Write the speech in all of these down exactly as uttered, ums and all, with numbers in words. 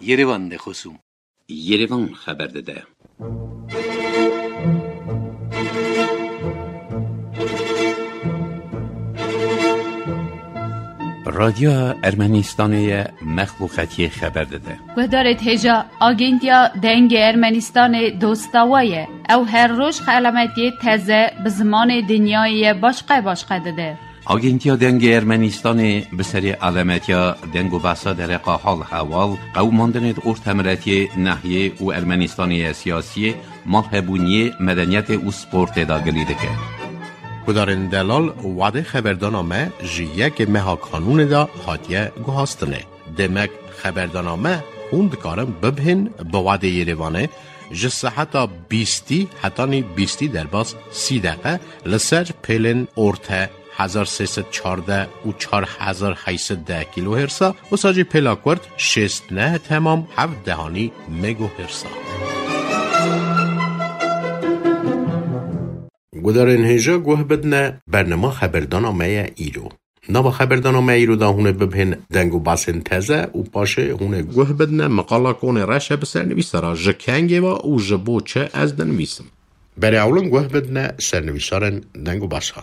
Yerevan de xosûm. Yerevan xeber dide. Radyoya Ermenistanê ye, mexbûxetiyê xeber dide. Guhdarêt hêja, Agentiya Dengê Ermenistanê dosta we ye. Ew her roj xelametiyê teze bi zimanê dinyayê ye başqe başqe dide. Agentiya Dengê Ermenistanê bi serê alemetiya deng û behsa dereqa hal hewal, qewimandinê di ortemiretiyê, nehiyê û Ermenistanê ye siyasiyê, malhebûniyê, medeniyetê û sportê de gilî dike. Gudarên delal, wadê xeberdana me ji yekê meha kanûnê de hatiye guhastinê. Demek xeberdana me hûn dikarin bibihên bi wadê Yerevanê ji seheta bîstî hetanî bîstî derbas sî deqe li ser pêlên orte hezar sê sed çardeh û çar hezar heyt sed deh kîlohersa, wisa jî pêla kurt şêst neh temam heft dehanî megohersa. Gudarên hêja guh bidne, bernama xeberdana me ye îro. Nava xeberdana me îro da hûn ê bibihên deng û basên teze û paşê hûn ê guh bidne, miqala konê reş e bi sernivîsara ji kengê ve û ji bo çi ez dinivîsim. Berê ewlin guh bidne sernivîsarên deng û basa.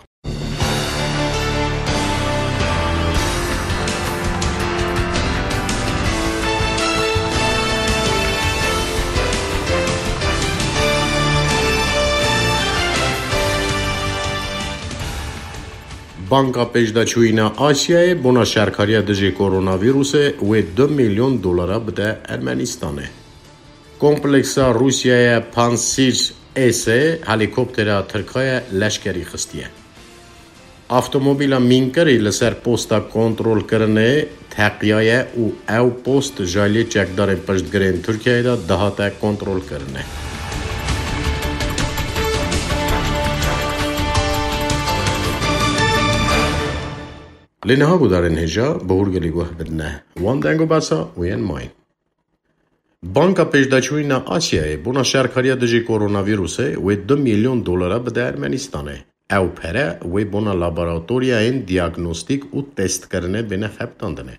Banka Pêşdaçûyîna Asyayê bona şerkariya dijî koronavîrusê wê du milyon dolara bide Ermenistanê. Kompleksa Rûsyayê Pansîr S helîkoptera Tirkayê leşkerî xistiye. Avtomobîla mînkirî li ser posta kontrolkirinê teqiyaye û ew post ji alî çekdarên piştgirên Tirkiyeyê de dihate kontrolkirinê. Lê niha gudarên hêja bi hûrgilî guh bidine. Wan deng û besa û yên mayîn. Banka Pêşdaçûyîna Asyayê bona şerkariya dijî koronavîrusê wê du milyon dolara bide Ermenistanê. Ew pere wê bona laboratoriyayên diagnostîk û testkirinê bêne xebitandinê.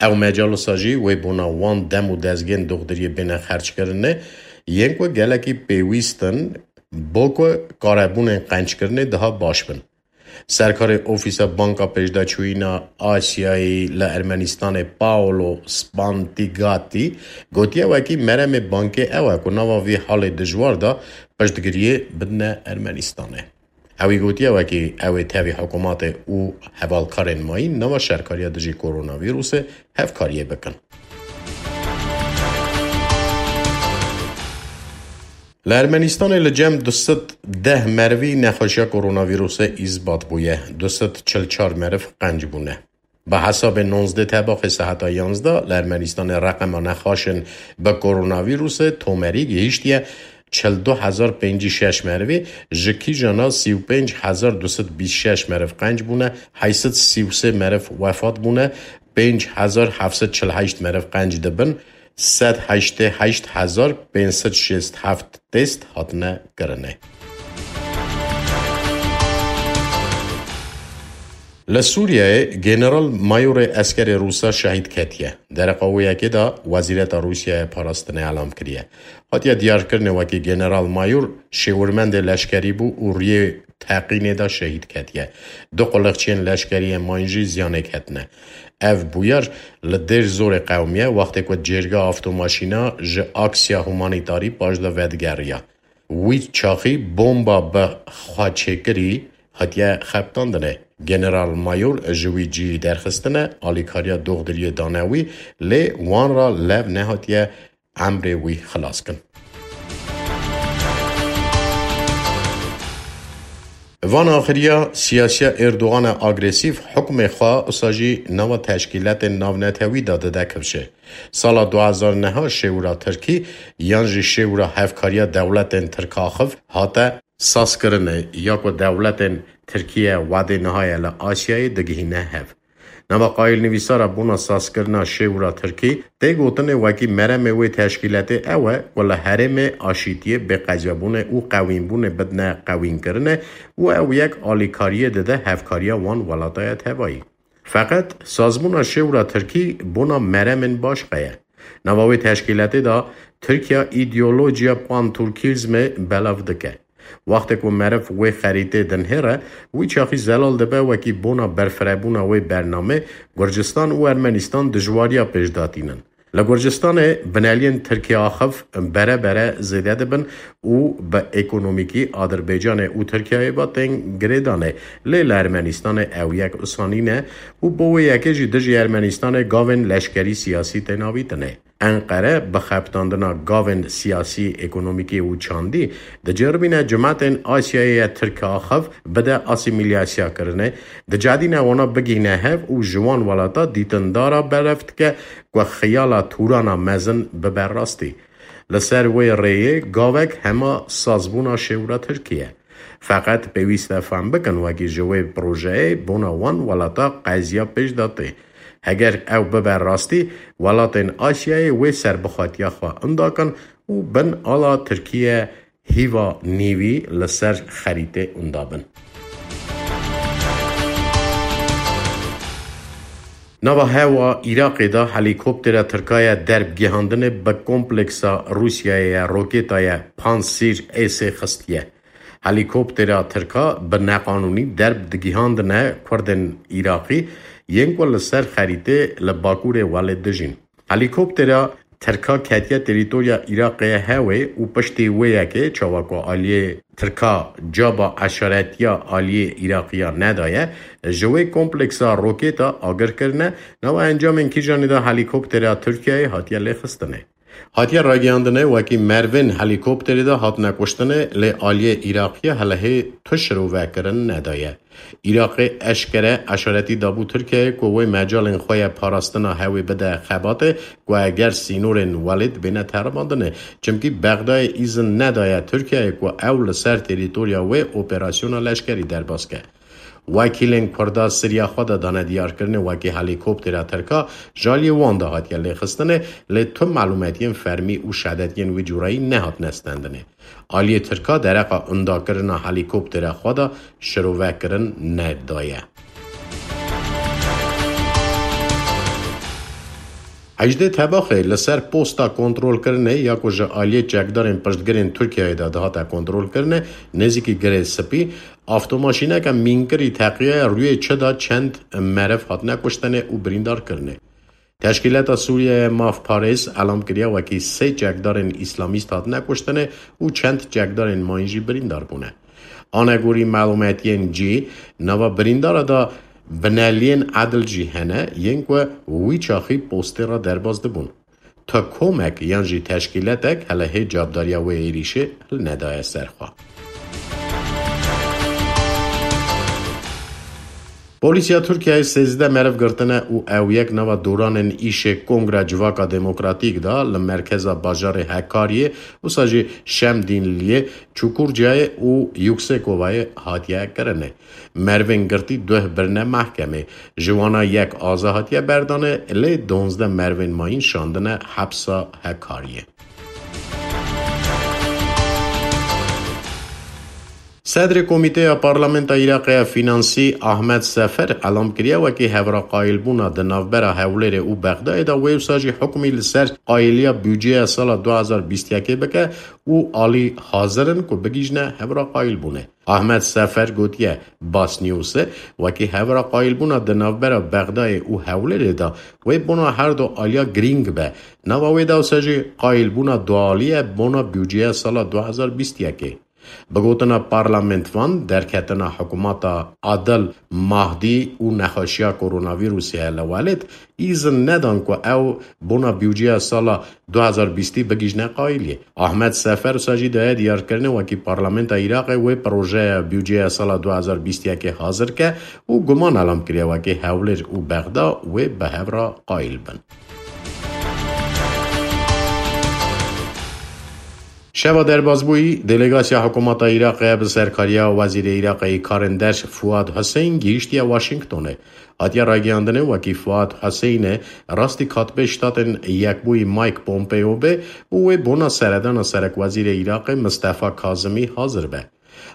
Ew mecalisa jî wê bona wan dem û dezgên doxdiriyê bêne xerckirinê, yên ku gelekî pêwîst in, bo ku karebûnên qenckirinê daha baş bin. Serkarê Ofîsa Banka Pêşdaçûyîna Asyayê li Ermenistanê Paolo Spantigati gotiye, wekî meremê bankê ew e ku nava vî halê dijwar de piştgiriyê bidine Ermenistanê. Ewî gotiye, wekî ew ê tevî hikûmetê û hevalkarên mayîn nava şerkariya dijî koronavîrusê hevkariyê bikin. Li Ermenistanê li cem du sed deh merivî nexweşiya koronavîrusê îsbat bûye. Du sed çil çar meriv qenc bûne. Bi hesabê nonzdeh tebaxê seheta yanzdeh li Ermenistanê reqema nexweşên bi koronavîrusê tomerî gihîştiye çil du hezar pêncî şeş merivî, ji kîjana sî û pênc hezar du sed bîst şeş meriv qenc bûne, heyt sed sî û sê meriv wefat bûne, pênc hezar heft sed çil heşt meriv qenc dibin, sed heştê heşt hezar pênc sed şêst heft test hatine kirinê. Li Sûriyeyê General Mayorê eskerê Rûsa şehîd ketiye. Dereqa wê yekê de Wezîreta Rûsiyayê Parastinê elam kiriye. Hatiye diyarkirinê wekî General Mayor şêwirmendê leşkerî bû û riyê teqînê de şehîd ketiye. Du quliqçiyên leşkeriyê mayîn jî ziyanê ketine. Ev bûyer li Dêr Zorê qewimiye, wextê ku cêrga avtomaşîna ji aksiya humanîtarî paşda vedigeriya. Wî çaxî bomba bi xwe çêkirî hatiye xebitandinê. General Mayor ji wî cihî derxistine, alîkariya doxdiriyê dane wî, lê wan re lev nehatiye emrê wî xilas kin. Van axiriya siyasiya Erdogan e agresîf hukmê xwe usa jî nava teşkîletên navnetewî de dide kifşê. Sala du hezar neh şêwira Tirkî yan jî şêwira hevkariya dewletên Tirkaxiv hate sazkirinê ya ku dewletên Tirkiye wedê niha ye li Asyayê digihîne hev. Nava qayîlnivîsara bona sazkirina şêwira Tirkî tê gotinê wekî meremê wê teşkîletê ew e ku li herêmê aşîtiyê, bêqecebûnê û qewînbûnê bidine qewînkirinê û ew yek alîkariyê dide hevkariya wan welataya tevayî. Feqet sazbûna şêwra Tirkî bona meremên baş qeye. Nava wê teşkîletê de Tirkiye îdeolojiya panturkîzmê belav dike. Wextê ku meriv wê xerîtê dinihêre, wî çaxî zelal dibe wekî bona berfirebûna wê bernamê Gurcistan û Ermenistan dijwariya pêş datînin. Li Gurcistanê bineliyên Tirkiye axif bere bere zêde dibin û bi ekonomîkî Adirbaycanê û Tirkiyeyê ve tên girêdanê. Lê li Ermenistanê ew yek usa nîne û bo wê yekê jî dijî Ermenistanê gavên leşkerî siyasî tê navîtinê. Enqere bi xebitandina gavên siyasî, ekonomîkî û çandî diceribîne cimetên Asyayê ye Tirk axif bide asîmîlyasyakirinê, dicedîne wana bigihîne hev û ji wan welata dîtindara belav dike ku xiyala Tûrana mezin bibe rastî. Li ser wê rêyê gavek hema sazbûna şêwra Tirkiye. Feqet pêwîst e fehm bikin wekî ji wê projeyê bona wan welata qeziya pêş de tê. Heger ew bibe rastî, welatên Asyayê wê serbixwetiya xwe inda kin û bin ala Tirkiye hîva nîvî li ser xerîtê inda bin. Nava hewa Iraqê de helîkoptera Tirka ye derb gihandinê bi kompleksa Rûsyayê ye roketa ye Pansîr Êsê xistiye. Helîkoptera Tirka bi neqanûnî derb digihandine Kurdên Iraqî yên ku li ser xerîtê li bakurê welê dijîn. Helîkoptera Tirka ketiye terîtorya Iraqê hewê û piştî wê yekê çawa ku aliyê Tirka caba eşaretiya aliyê Iraqiya nedaye, ji wê kompleksa roketa agir kirine, nava encamên kîjanê de helîkoptera Tirkiyeyê hatiye lêxistinê. Hatiye ragihandinê wekî mervên helîkopterê de hatine kuştinê, lê aliyê Iraqiya helehê tu şirovekirin nedaye. Iraqê eşkere eşaretî dabû Tirkiyeyê ku wê mecalên xwe ye parastina hewê bide xebatê, ku eger sînorên welêt bêne teribandinê. Çimkî Bexdayê îzin nedaye Tirkiyeyê ku ew li ser terîtorya wê operasyona leşkerî derbas ke. Wekîlên Kurda siriya xwe de dane diyarkirinê wekî helîkoptera Tirka ji aliyê wan de hatiye lêxistinê, lê tu malûmetiyên fermî û şedetiyên wî cûreyî nehatine stendinê. Aliyê Tirka dereqa indakirina helîkoptera xwe de şirovekirin nedaye. Hejdê Tebaxê li ser posta kontrolkirinê ya ku ji aliyê çekdarên piştgirên Tirkiyeyê de dihate kontrolkirinê, nêzîkî Girê Spî, avtomaşîneke mînkirî teqiyaye rûyê çi de çend meriv hatine kuştinê û birîndar kirinê. Teşkîlata Sûriyeyê Mafparêz elam kiriye wekî sê çekdarên îslamîst hatine kuştinê û çend çekdarên mayîn jî birîndar bûne. Anegorî malûmetiyên cî, nava birîndara de bineliyên edil jî hene yên ku wî çaxî postê re derbas dibûn. Tu komek yan jî teşkîletek hele hê cavdariya wê êrîşê hil nedaye ser xwe. Polîsiya Tirkiyeyê sêzdeh meriv girtine û ew yek nava doranên îşê Kongra Civaka Demokratîk de li merkeza bajarê Hekariyê, wisa jî Şemdînliyê, Çukurcayê û Yuksekovayê hatiye kirinê. Merivên girtî duh birine mehkemê. Ji wana yek aza hatiye berdanê, lê donzdeh merivên mayîn şandine hepsa Hekariyê. Sedrê Komîteya Parlamenta Iraqê ya Fînansî Ahmet Sefer elam kiriye wekî hevraqayilbûna di navbera Hewlêrê û Bexdayê de wê wisa jî hukmî li ser qayiliya budceya sala du hazar bîst yekê bike û alî hazir in ku bigihîjne hevraqayilbûnê. Ahmet Sefer gotiye, Basnewsê wekî hevraqayilbûna di navbera Bexdayê û Hewlêrê de wê bona her du aliya girîng be. Nava wê de wisa jî qayilbûna dualî ye bona budceya sala du hazar bîst yekê. Bi gotina parlamentvan, derketina hikûmeta Adil Mahdi û nexweşiya koronavîrusê li welêt îzin nedan ku ew bona budceya sala du hazar bîstî bigihîjne qayiliyê. Ahmet Sefer wisa jî daye diyarkirinê wekî Parlamenta Iraqê wê projeya budceya sala du hazar bîst yekê hazir ke û guman elam kiriye wekî Hewlêr û Bexda wê bi hev re qayil bin. Şeva derbasbûyî, delegasiya hikûmeta Iraqê bi serkariya Wezîrê Iraqê yê Karên Derş Fuad Hussein gihîştiye Washingtonê. Hatiye ragihandinê wekî Fuad Hussein e rastî katibê Ştatên Yekbûyî Mike Pompeo be û wê bona seredana serekwezîrê Iraqê Mistefa Kazimî hazir be.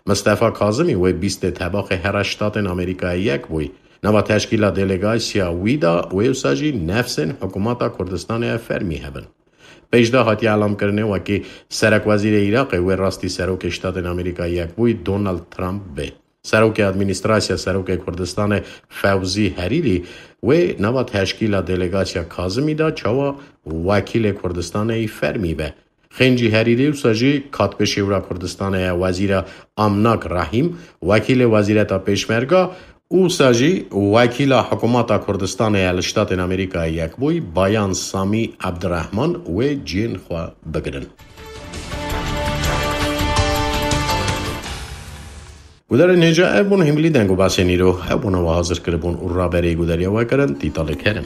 Mistefa Kazimî wê bîstê Tebaxê here Ştatên Amerîkayê Yekbûyî. Nava teşkîla delegasya wî de wê wisa jî nefsên hikûmeta Kurdistanê ya fermî hebin. Pêş de hatiye elamkirinê wekî serekwezîrê Iraqê wê rastî serokê Ştatên Amerîka Yekbûyî Donald Trump bê. Serokê Administrasya Serokê Kurdistanê Fewzî Herîrî wê nava teşkîla delegasya Kazimî de çawa wekîlê Kurdistanê yî fermî be. Xêncî Herîrî wisa jî katpê şêwra Kurdistanê ye Wezîra Amnak Rahîm, wekîlê Wezîreta Pêşmerga û wisa jî wekîla Hikûmeta Kurdistanê ye li Ştatên Amerîkayê Yekbûyî Bayan Samî Ebdirehman wê cihên xwe bigirin. Gudarên hêja, ev bûn hîmilî deng û basên îro. Ew bûne we hazir kiribûn û raberê gudariya we kirin Tîtalê Kerim.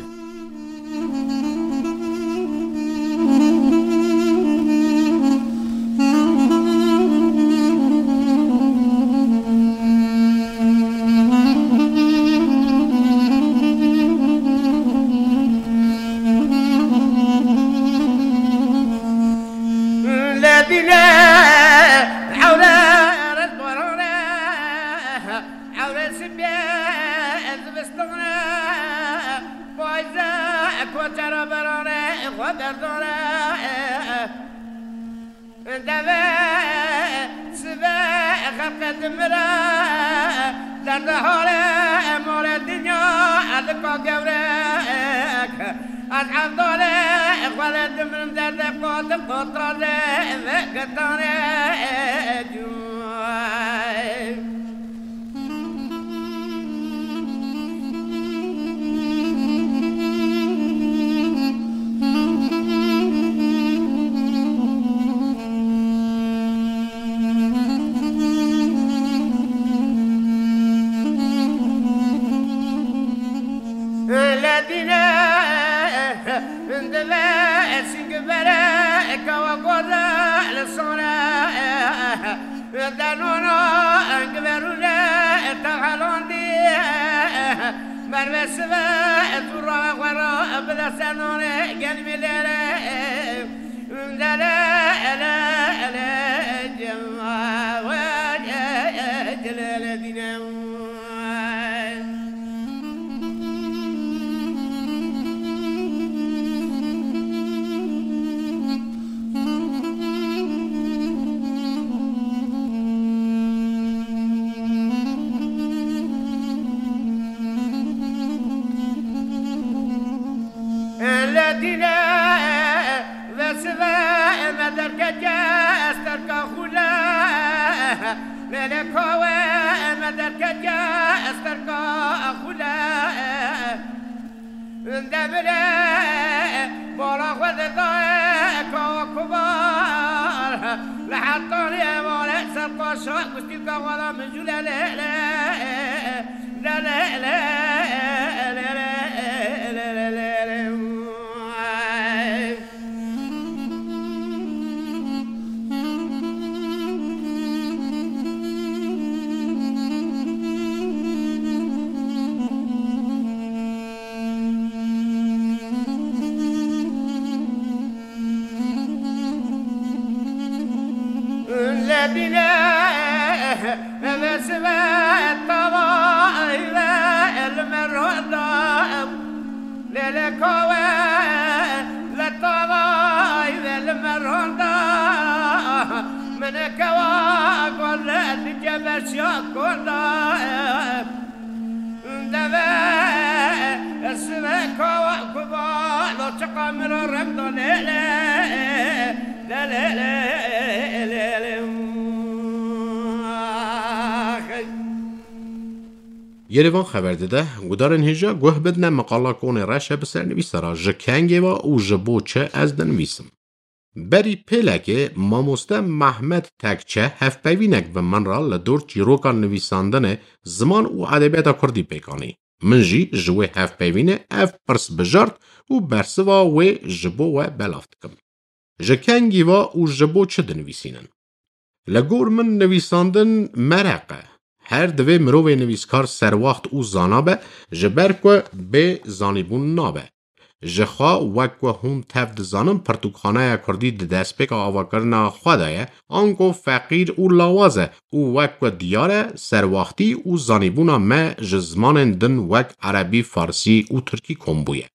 Ewre sibê zivistane, payze koçera berane, xwe derdane. Deve sibe xelqe dimire, derde hale male dinya, elika gewrek. Ez evdale xwe le dimirim, derde qadim qotale ve getane. Ledine, deve, singvere, kawa goda, le sore. Denono, giverûne, tehelondî, merve sive, tu ra xwe ra, bide senone, gelmîlere, dere, ele, ele, cema, we, ele, dine. Ledine vesive me derkeke esterka xule. Lele kawe me derkeke esterka xule. Demire bala xwe de daye kawa kubar. Li hetanê evare ser paşa gustîlka xwe da min jû le le le. Le le le. Ledine, eve sive tava, eve elme ronda. Lele kawe, le tavay, le, le me ronda. Mene kewa gole, dike berşiya konda. Deve, sive kawa kuba, lo çiqa miro remdo lele. Le, le, le, le, le. Yerevan xeber dide, gudarên hêja guh bidine meqala Konê Reşe bi sernivîsa re ji kengê ve û ji bo çi ez dinivîsim. Berî pêlekê mamoste Mehmet Tekçe hevpeyvînek bi min re li dor çîroka nivîsandinê, ziman û edebiyata kurdî pêk anî. Min jî ji wê hevpeyvînê ev pirs bijart û bersiva wê ji bo we belav dikim. Ji kengî ve û ji bo çi dinivîsînin? Li gor min nivîsandin mereq e. Her divê mirovê nivîskar serwaxt û zana be, ji ber ku bê zanîbûn nabe. Ji xwe wek ku hûn tev dizanin, pirtûkxaneya kurdî di destpêka avakirina xwe de ye, ango feqîr û lawaz e û wek ku diyar e, serwaxtî û zanîbûna me ji zimanên din wek erebî, farsî û tirkî kom bûye.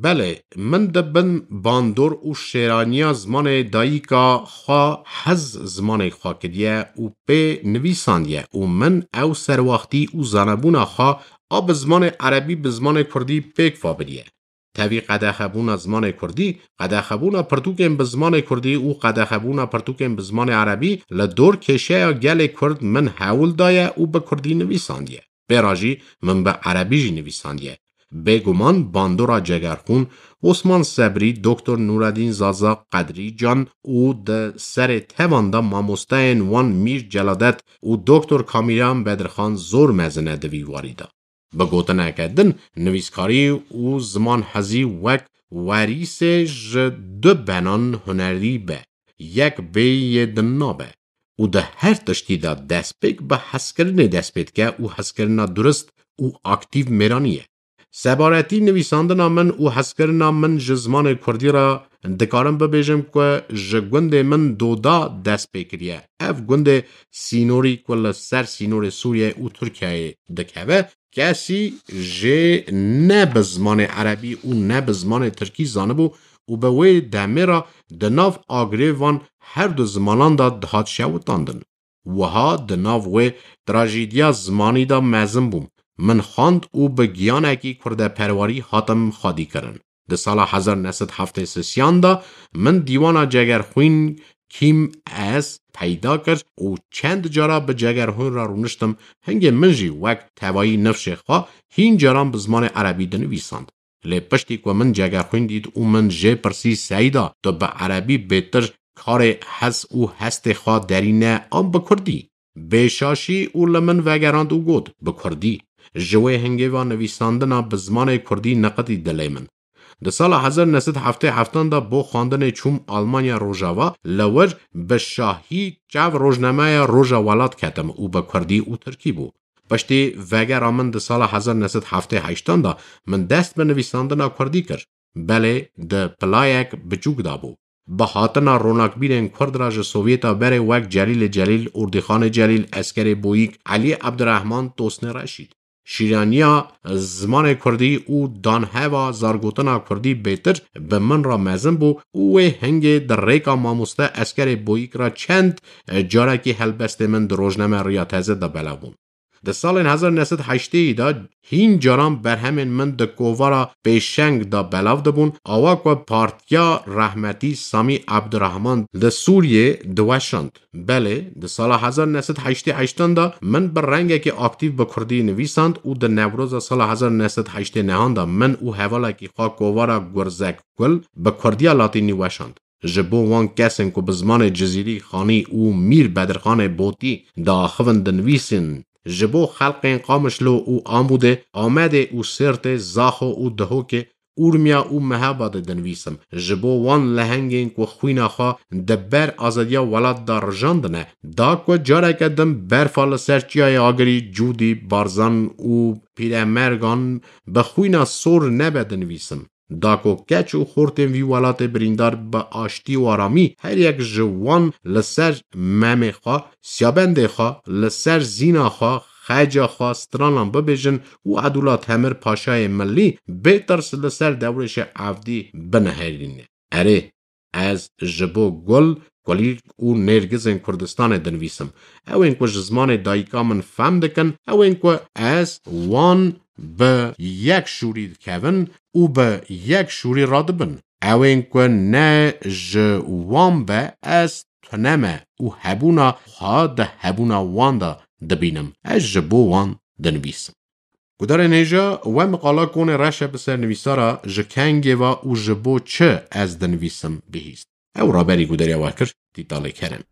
Belê, min di bin bandor û şêraniya zimanê dayika xwe hez zimanê xwe kiriye û pê nivîsandiye û min ew serwaxtî û zanebûna xwe a bi zimanê erebî bi zimanê kurdî pêk va biriye. Tevî qedexebûna zimanê kurdî, qedexebûna pirtûkên bi zimanê kurdî û qedexebûna pirtûkên bi zimanê erebî li dor kêşeya gelê kurd min hewl daye û bi kurdî nivîsandiye. Pê re jî min bi erebî jî nivîsandiye. Bêguman bandora Cegerxwîn, Osman Sebrî, Doktor Nûredîn Zaza, Qedrî Can û di serê tevan de mamosteyên wan Mîr Celadet û Doktor Kamîran Bedirxan zor mezin e di vî warî de. Bi gotineke din, nivîskarî û zimanhezî wek werîsê ji du benan hunerî be, yek bê yê din nabe û di her tiştî de destpêk bi hezkirinê dest pê dike û hezkirina durist û aktîv mêranî ye. Sebaretî nivîsandina min û hezkirina min ji zimanê kurdî re dikarim bibêjim ku ji gundê min Doda dest pê kiriye. Ev gundê sînorî ku li ser sînorê Sûriyeyê û Tirkiyeyê dikeve, kesî jê ne bi zimanê erebî û ne bi zimanê tirkî zanibû û bi wê demê re di nav agirê van her du zimanan de dihat şewitandin. Wiha di nav wê trajîdiya zimanî de mezin bûm. Min xwend û bi giyanekî kurdeperwerî hatim xwedîkirin. Di sala hezar neh sed heftê sêyan de min dîwana Cegerxwîn Kîm Ez peyda kir û çend cara bi Cegerxwîn re rûniştim, hingê min jî wek tevayî nifşê xwe hîn caran bi zimanê erebî dinivîsand. Lê piştî ku min Cegerxwîn dît û min jê pirsî, Seyda, tu bi erebî bêtir karê hes û hestê xwe derîne an bi kurdî? Bê şaşî û li min vegerand û got, bi kurdî. Ji wê hingê ve nivîsandina bi zimanê kurdî niqitî dilê min. Di sala hezar neh sed heftê heftan de bo xwendinê çûm Almanya Rojava, li wir bi şahî çav rojnameya Roja Welat ketim û bi kurdî û tirkî bû. Piştî vegera min di sala hezar neh sed heftê heştan de min dest bi nivîsandina kurdî kir. Belê di pilayek biçûk de bû. Bi hatina ronakbîrên kurd re ji Sovyeta berê wek Celîlê Celîl, Ordîxanê Celîl, Eskerê Boyîk, Elî Ebdirehman, Tosnê Reşîd. Şîraniya zimanê kurdî û danheva zargotina kurdî bêtir bi min re mezin bû û wê hingê di rêka mamoste Eskerê Boyîk re çend carekî helbestê min di rojname Riya Teze de belav bûn. Di salên hezar neh sed heştê de hîn caran berhemên min di kovara Pêşeng de belav dibûn, awa ku partiya rehmetî Samî Ebdirehman li Sûriyê diweşand. Belê, di sala hezar neh sed heştê heştan de min bi rengekî aktîf bi kurdî nivîsand û di Newroza sala hezar neh sed heştê nehan de min û hevalekî xwe kovara Gurzek Gul bi kurdiya latînî weşand. Ji bo wan kesên ku bi zimanê Cizîrî, Xanî û Mîr Bedirxanê Botî diaxivin dinivîsin, ji bo xelkên Qamişlo û Amûdê, Amedê û Sêrtê, Zaxo û Dihokê, Urmiya û Mehabadê dinivîsim. Ji bo wan lehengên ku xwîna xwe di ber azadiya welat de rijandine, da ku careke din berfa li ser Çiyayê Agirî, Cûdî, Barzan û Pîremergan bi xwîna sor nebe dinivîsim. Da ku keç û xortên vî welatê birîndar bi aştî û aramî, her yek ji wan li ser memê xwe, siyabendê xwe, li ser zîna xwe, xeca xwe stranan bibêjin û Edûla Temir Paşayê Milî bê tirs li ser Dewrêşê Evdî binihêrîne. Erê, ez ji bo gul, kulîlk û nêrgizên Kurdistanê dinivîsim. Ew ên ku ji zimanê dayika min fehm dikin, ew ên ku ez wan bi yek şûrî dikevin û bi yek şûrî radibin. Ew ên ku ne ji wan be, ez tune me û hebûna xwe di hebûna wan de dibînim. Ez ji bo wan dinivîsim. Gudarên hêja, we miqala Konê Reşe bi ser nivîsara Ji Kengê Ve û Ji Bo Çi Ez Dinivîsim bihîst. Ew raberî gudariya we kir, Tîtalê Kerem.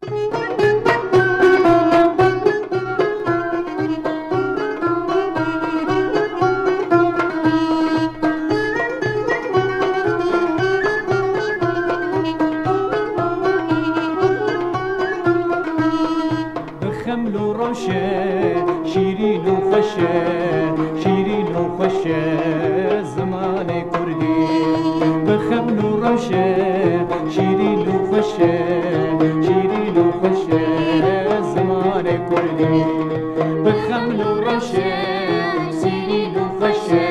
Bi xeml û rewş e, şîrîn û xweş e, şîrîn û xweş e zimanê kurdî. Şîrîn û xweş e, şîrîn û xweş e zimanê kurdî. Bi xeml û rewş e, şîrîn û xweş e,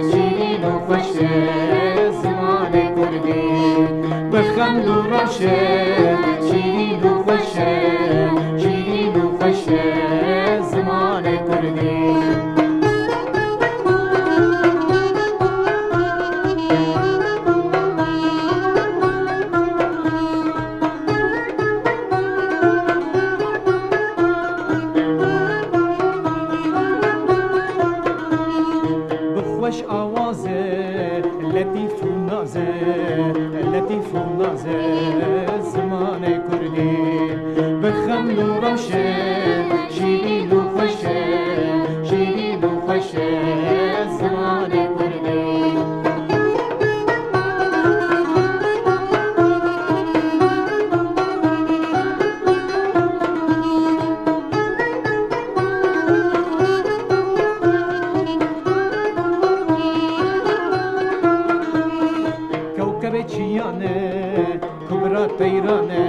şîrîn û xweş e zimanê kurdî. Bi xeml û rewş e, şîrîn û xweş e, şîrîn û xweş e zimanê kurdî. Bi xweş awazê letîf û nazê, letîf û nazê zimanê kurdî. Bi xeml û rewş e, şîrîn û xweş e, şîrîn û xweş e zimanê kurdî. Kewkebê çiyan e, Kubra Teyran e,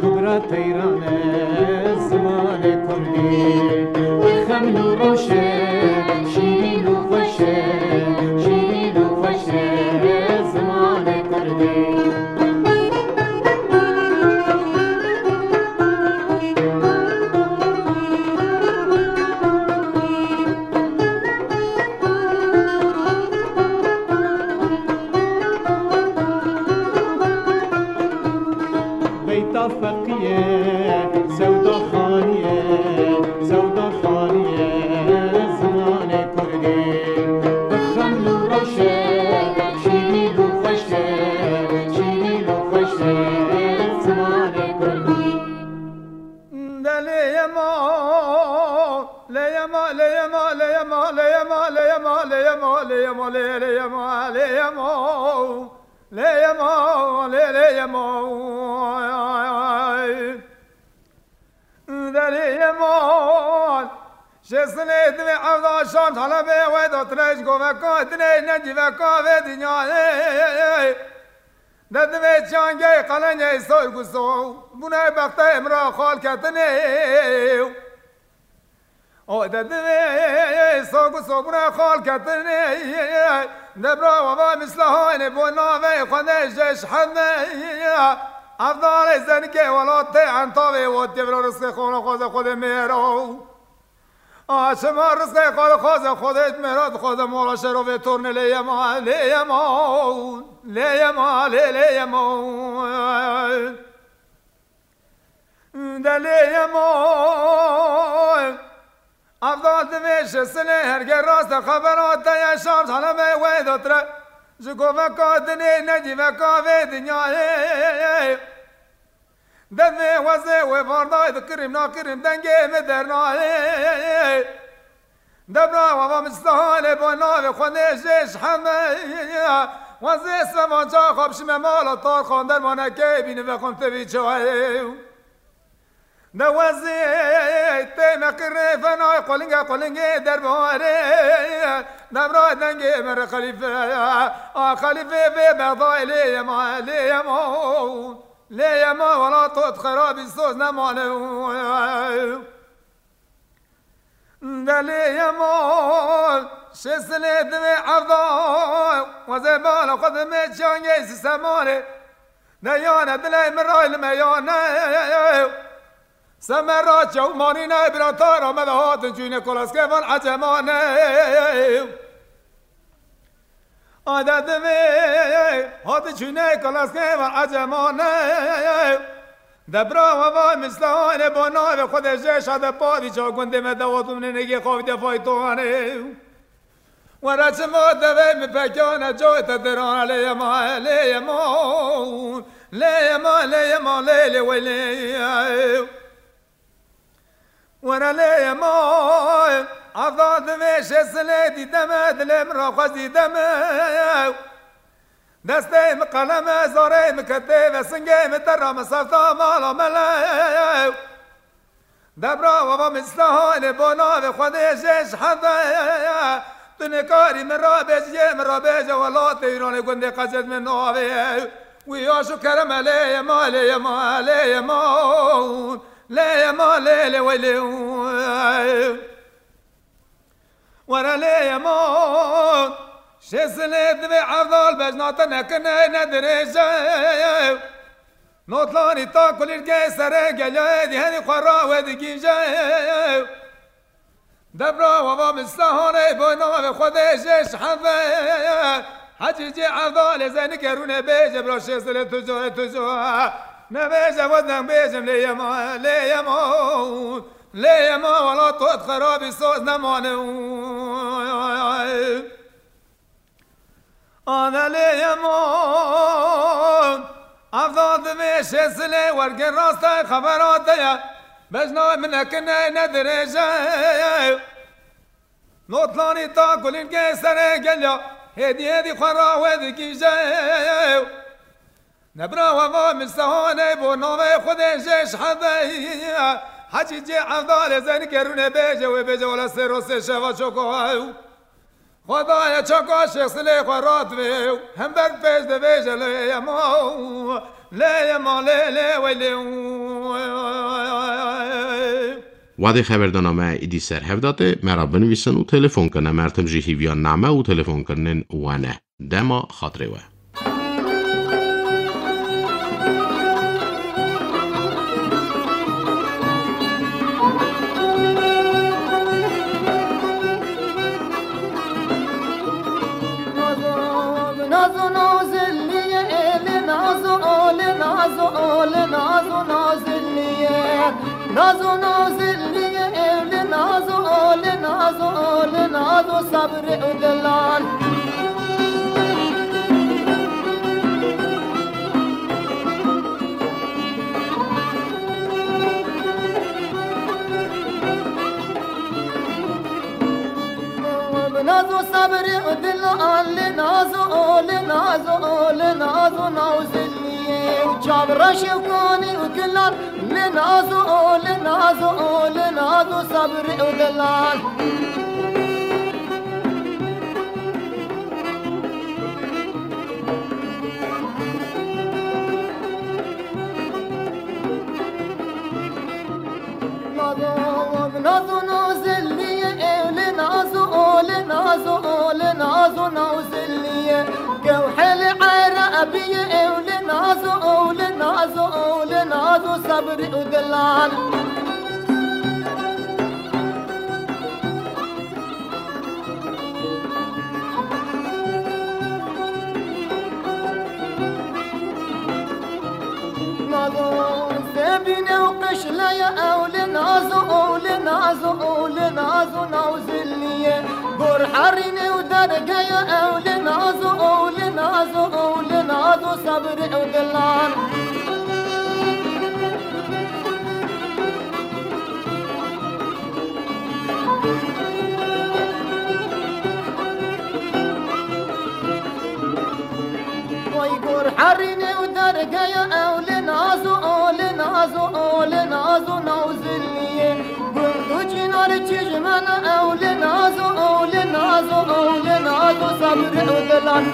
Kubra Teyran e, zimanê kurdî. Xeml û rewş e, şîrîn û xweş e, şîrîn û xweş e, zimanê kurdî. Beyta feqî ye, sewda xanî ye, sewda xanî ye zimanê kurdî. Bi xeml û rewş e, şîrîn û xweş e, şîrîn û xweş e zimanê kurdî. De lê yema, lê yema, lê yema, lê yema, lê yema, lê yema, lê yema, lê yema, lê, lê yema, lê yema. Lê yema, lê, lê yema. De lê yema. Şêsilê divê evda şan talebê wê do tinej goveka dinê necîveka vê dinyayê. De divê çangê qelenyê soy guso. Bûne bextê min ra xal ketinê. O de divê soku sobuna xal ketinê. De bira wava mislahanê bo navê xwedê jeş hende. Evdalê zenikê welatê entavê wotê vira rizqê xwe xwaze xwedê mêro. A şema rizqê xwe xwaze xwedê mêro dixwaze mola şerovê tornê lê yema, lê yema, lê yema, lê, lê yema. De lê yema. Evdal divê şesilê herge rast e xebera te ye şam talebê wê dotire. Ji goveka dinê necîveka vê dinyayê. De divê wezê wê vardayê dikirim nakirim dengê min dernayê. Debra wava mistahanê bo navê xwedê jê ji heme. Wezê sevan çaxa bişime mala tarxan dermanekê bîni vexwim tevî çayê. De wezê tê me qirê fenay qolingê qolingê derbarê. Debra dengê me re xelîfe. A xelîfe vê Bexdayê lê yema, lê yema. Lê yema wela tot xerabî soz nemane. Delê yema şêsilê divê evda. Wezê bala xwe dimê çiyangê sîsemanê. Deyane dilê min ray li meyane. Semera çewmanîne bira tara me de hatin çûyne kolaskê van ecemane. Ade divê hati çûnê kalaskê ve ecemane. Debra we vay mislane bo navê Xwedê jê şade padî ça gundê me dewat û nênegê xavî de faytane. Were çima devê min pekane coy te dirane lê yema, lê yema, lê yema, lê yema, lê, lê, wey, lê. Were lê yema, evda divê şêsilê dîdeme, dilê min ra xwezî deme. Destê min qeleme, zarê min ketê ve singê min te ra min sefta mala mele. Debra wava min stehanê bo navê Xwedê jê ji hede. Tu nikarî min rabêjiyê, min rabêje welatê Îranê gundê Qecet min navê. Wî aşo kerem e lê yema, lê yema, lê yema, lê yema, lê, lê, wey lê. Were lê yema, şêsilê divê evdal bejna te nekine, ne dirêje. Notlanî ta kulîlkê serê gelê, di herî xwe ra wê digîje. Debra wava min sehanê bo navê Xwedê jê şeheve. Hecî cê evdalê zeynikê rûnê bêje, bira şêsilê tu co, tu co. Nebêje wezden bêjim lê yema, lê yema. Lê yema wela tot xerabî soz nemane. Ane lê yema. Evda divê şêsilê wergê rastay xebera te ye. Bejna min nekine ne dirêje. Notlanî ta kulîlkê serê gelya. Hêdî hêdî xwe ra wê dikîje. Nebra weva min sehanê bo navê Xwedê jê şehede. Hecî cê evdalê zeynikê rûnê bêje wê bêje wela sê roz sê şeva çoko ew. Xwedayê çoko şêsilê xwe rat vê. Hember pêş de bêje lê yema. Lê yema lê lê wey lê. Wadê xeberdana me îdî ser hev date, me ra binivîsin û telefon kine, mertim jî hîviyan name û telefonkirinên we ne. Dema xatirê we. Nazo, nazo, nazo, zilliye, eli nazo, oli nazo, oli nazo, nazilliye. Nazo, nazilliye, eli nazo, oli nazo, oli nazo, sabri udelan. Nazo sabri dilan, li nazo, li nazo, li nazo, nazilliye. Çavra şevkani û kilan, li nazo, li nazo, li nazo, sabri dilan. Nazo, nazo, nazilliye, ew li nazo, o li nazo, o li nazo, nazilliye. Gewheli Erebiye, ew li nazo, o li nazo, o li nazo, sabri û dilan. Nazo, zebîne û qişleye ew li nazo, ew li nazo, ew li nazo, nazilliye. Gor herîne û dergeye ew li nazo, ew li nazo, ew li nazo, sabri û dilan. Oy gor herîne û dergeye ew li nazo, o li nazo, o li nazo, nazilliye. Gund û çînar çijmene ew li nazo, o li nazo, o li nazo, sabri û dilan.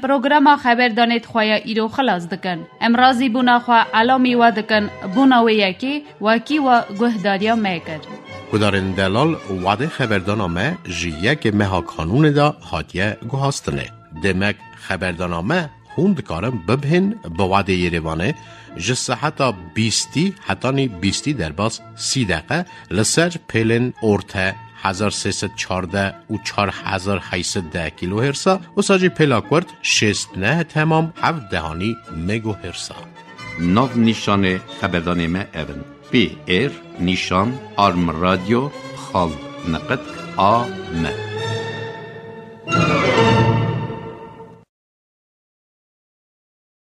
Programa xeberdanê di xwe ya îro xilas dikin. Em razîbûna xwe elamî we dikin, bûna wê yekê wekî we guhdariya me kir. Guhdarên delal, wadê xeberdana me ji yekê meha kanûnê de hatiye guhastinê. Demek xeberdana me hûn dikarin bibihên bi wadê Yerêvanê ji seheta bîstî hetanî bîstî derbas sî deqe li ser pêlên orte hezar sê sed çardeh û çar hezar heyt sed deh kîlohêrsa, wisa jî pêla kurt şêst neh temam heft dehanî megohêrsa. Nav nîşanê xeberdanê me ev in: P R nîşan arm radyo xal neqet a m.